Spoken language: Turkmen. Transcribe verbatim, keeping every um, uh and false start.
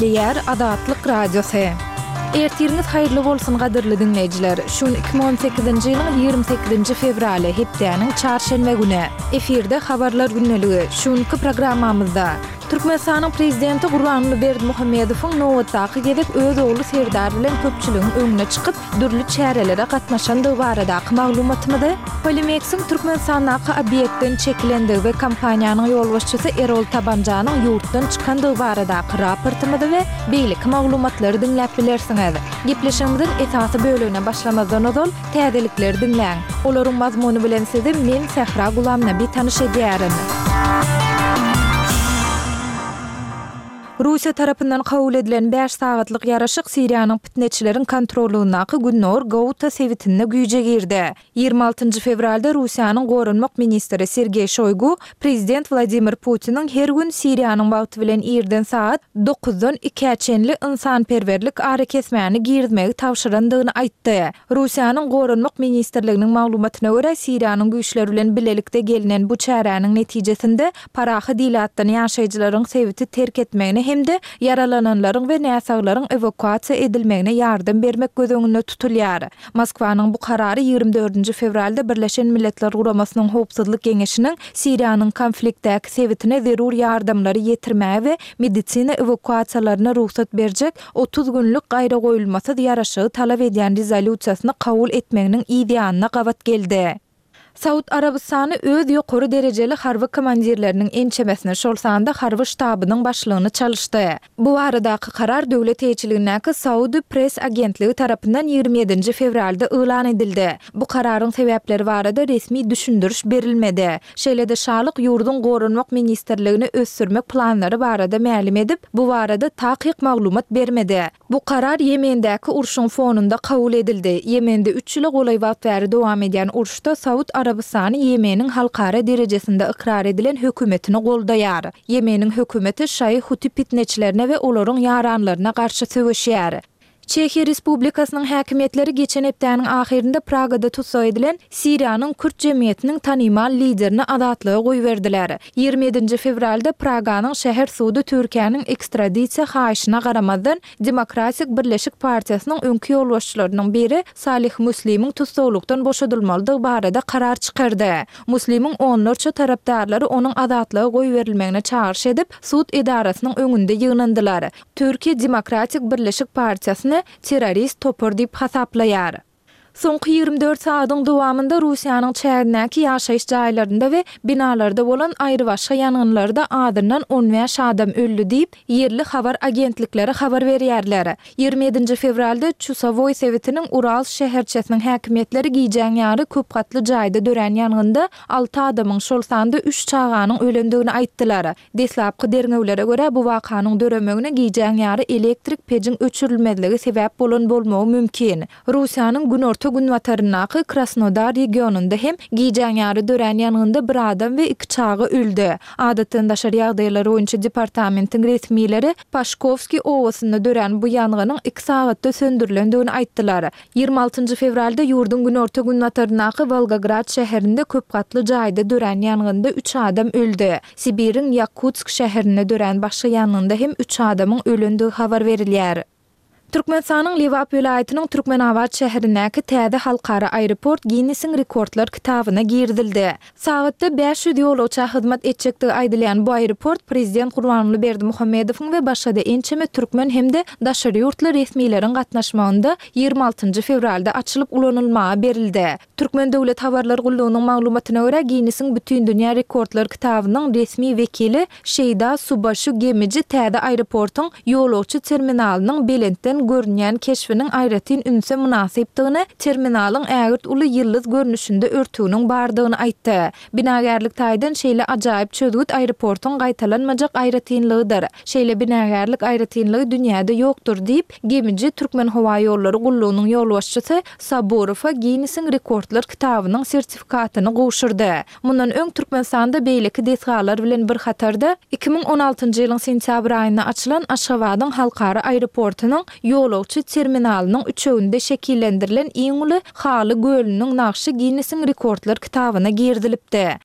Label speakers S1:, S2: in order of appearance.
S1: Gepleýär Azatlyk Radiosy. Ertiriňiz haýyrly bolsun gadyrly diňleýjiler. Şu gün iki müň on sekizinji ýylyň ýigrimi sekizinji fewraly, hepdäniň çarşenbe güni. Efirde Habarlar gündeligi. Şu günki programmamyzda Türkmenistanyň Prezidenti Gurbanguly Berdimuhamedowyň nobatdaky gezek öz ogly Serdar bilen köpçüligiň öňüne çykyp, dürli çärelere gatnaşandygy baradaky maglumatymyzy, Polimeksiň Türkmenistandaky obýektden çekilendigi we kompaniýanyň ýolbaşçysy Erol Tabanjanyň ýurtdan çykandygy baradaky raportymyzy we beýleki maglumatlary diňläp bilersiňiz. Gepleşigimiziň esasy bölegine başlamazdan ozal, täzelikleri diňläň. Olaryň mazmuny bilen sizi men, Sähra Gulamnabi tanyş edýärin. Russiýa tarapyndan kabul edilen bäş sagatlyk ýaraşyk Siriýanyň pitneçileriň kontrollygyndaky Gündogar Gouta sebitinde güýje girdi. Ýigrimi altynjy fewralda Russiýanyň goranmak ministri Sergeý Şoýgu prezident Wladimir Putiniň her gün Siriýanyň wagty bilen irden sagat dokuzdan ikä çenli ynsanperwerlik arakesmäni girizmegi tabşyrandygyny aýtdy. Russiýanyň Goranmak ministrliginiň maglumatyna görä, Siriýanyň güýçleri bilen bilelikde gelnen bu çäräniň netijesinde parahat ilatdan ýaşaýjylaryň sebiti terk etmegine hem-de ýaralananlaryň we näsaglaryň ewakuasiýa edilmegine ýardam bermek göz öňünde tutulýar. Moskwanyň bu karary ýigrimi dördünji fewralda Birleşen Milletler Guramasynyň Howpsuzlyk Geňeşiniň Siriýanyň konfliktdäki sebitine zerur ýardamlary ýetirmäge we medisina ewakuasiýalaryna rugsat berjek otuz günlük gaýragoýulmasyz ýaraşygy talap edýän rezolýusiýasyny kabul etmeginiň yz ýanyna gabat geldi. Saud Arabystany öz ýokary derejeli harby komandirleriniň ençemesini, şol sanda harby ştabynyň başlygyny çalyşdy. Bu baradaky karar döwlet eýeçiligindäki Saudi Press agentligi tarapyndan ýigrimi ýedinji fewralda yglan edildi. Bu kararyň sebäpleri barada resmi düşündiriş berilmedi. Şeýle-de şalyk ýurduň Goranmak ministrligini ösdürmek planlary barada mälim edip, bu barada takyk maglumat bermedi. Bu karar Ýemendäki urşuň fonunda kabul edildi. Ýemende üç ýyla golaý wagt bäri dowam edýän uruşda Saud Arabystany Ýemeniň halkara derejesinde ykrar edilen hökümetini goldaýar. Ýemeniň hökümeti şaýy huti pitneçilerine we olaryň ýaranlaryna garşy söweşýär. Çehiýa Respublikasynyň häkimiýetleri geçen hepdäniň ahyrynda Pragada tussag edilen Siriýanyň kürt jemgyýetiniň tanymal liderini azatlyga goýberdiler. Ýigrimi ýedinji fewralda Praganyň şäher sudy Türkiýäniň ekstradisiýa haýyşyna garamazdan, Demokratik Birleşik partiýasynyň öňki ýolbaşçylarynyň biri Salih Muslimiň tussaglykdan boşadylmalydygy barada karar çykardy. Muslimiň onlarça tarapdarlary onuň azatlyga goýberilmegine çagyryş edip, sud edarasynyň öňünde ýygnandylar. Türkiýe Demokratik Birleşik partiýasyny terrorist topar diýip hasaplaýar. Soňky ýigrimi dört sagadyň dowamynda Russiýanyň çägindäki ýaşaýyş jaýlarynda we binalarda bolan aýrybaşga ýangynlarda azyndan on bäş adam öldi diýip, ýerli habar agentlikleri habar berýärler. Ýigrimi ýedinji fewralda Çusowoý sebitiniň Uralsk şäherçesiniň häkimiýetleri gijäň ýary köp gatly jaýda dörän ýangynda alty adamyň, şol sanda üç çaganyň ölendigini aýtdylar. Deslapky derňewlere görä, bu wakanyň döremegine gijäň ýary elektrik pejiň öçürilmezligi sebäp bolan bolmagy mümkin. Russiýanyň günorta-günbataryndaky Krasnodar regionynda hem gijäň ýary dörän ýangynda bir adam we iki çaga öldi. Adatdan daşary ýagdaýlar boýunça departamentiň resmileri Paşkowskiý obasynda dörän bu ýangynyň iki sagatda söndürilendigini aýtdylar. Ýigrimi altynjy fewralda ýurduň günorta-günbataryndaky Wolgograd şäherinde köp gatly jaýda dörän ýangynda üç adam öldi. Sibiriň Ýakutsk şäherinde dörän başga ýangynda hem üç adamyň ölendigi habar berilýär. Türkmenistanyň Lebap welaýatynyň Türkmenabat şäherindäki täze halkara aeroport Ginnesiň rekordlar kitabyna girizildi. Sagatda bäş ýüz ýolagça hyzmat etjekdigi aýdylýan bu aeroport prezident Gurbanguly Berdimuhamedowyň we başga-da ençeme türkmen hem-de daşary ýurtly resmileriň gatnaşmagynda ýigrimi altynjy fewralda açylyp ulanylmaga berildi. Türkmen döwlet habarlar gullugynyň maglumatyna görä, Ginnesiň Bütindünýä rekordlar kitabynyň resmi wekili Şeýda Subaşu Gemiji täze aeroportuň ýolagçy terminalynyň belentden görünýän keşbiniň aýratyn ünse mynasypdygyny, terminalyň ägirt uly ýyldyz görnüşinde örtüginiň bardygyny aýtdy. Binagärlik taýdan şeýle ajaýyp çözgüt aeroportuň gaýtalanmajak aýratynlygydyr. Şeýle binagärlik aýratynlygy dünýäde ýokdur diýip, Gemiji Türkmenhowaýollary gullugynyň ýolbaşçysy Saburowa Ginnesiň rekordlar kitabynyň sertifikatyny gowşurdy. Mundan öň Türkmenistanda beýleki desgalar bilen bir hatarda, iki müň on altynjy ýylyň sentýabr aýynda açylan Aşgabadyň halkara aeroportunyň ýolagçy terminalynyň üçeginde şekillendirilen iň uly haly gölüniň nagşy Ginnesiň rekordlar kitabyna girizilipdi.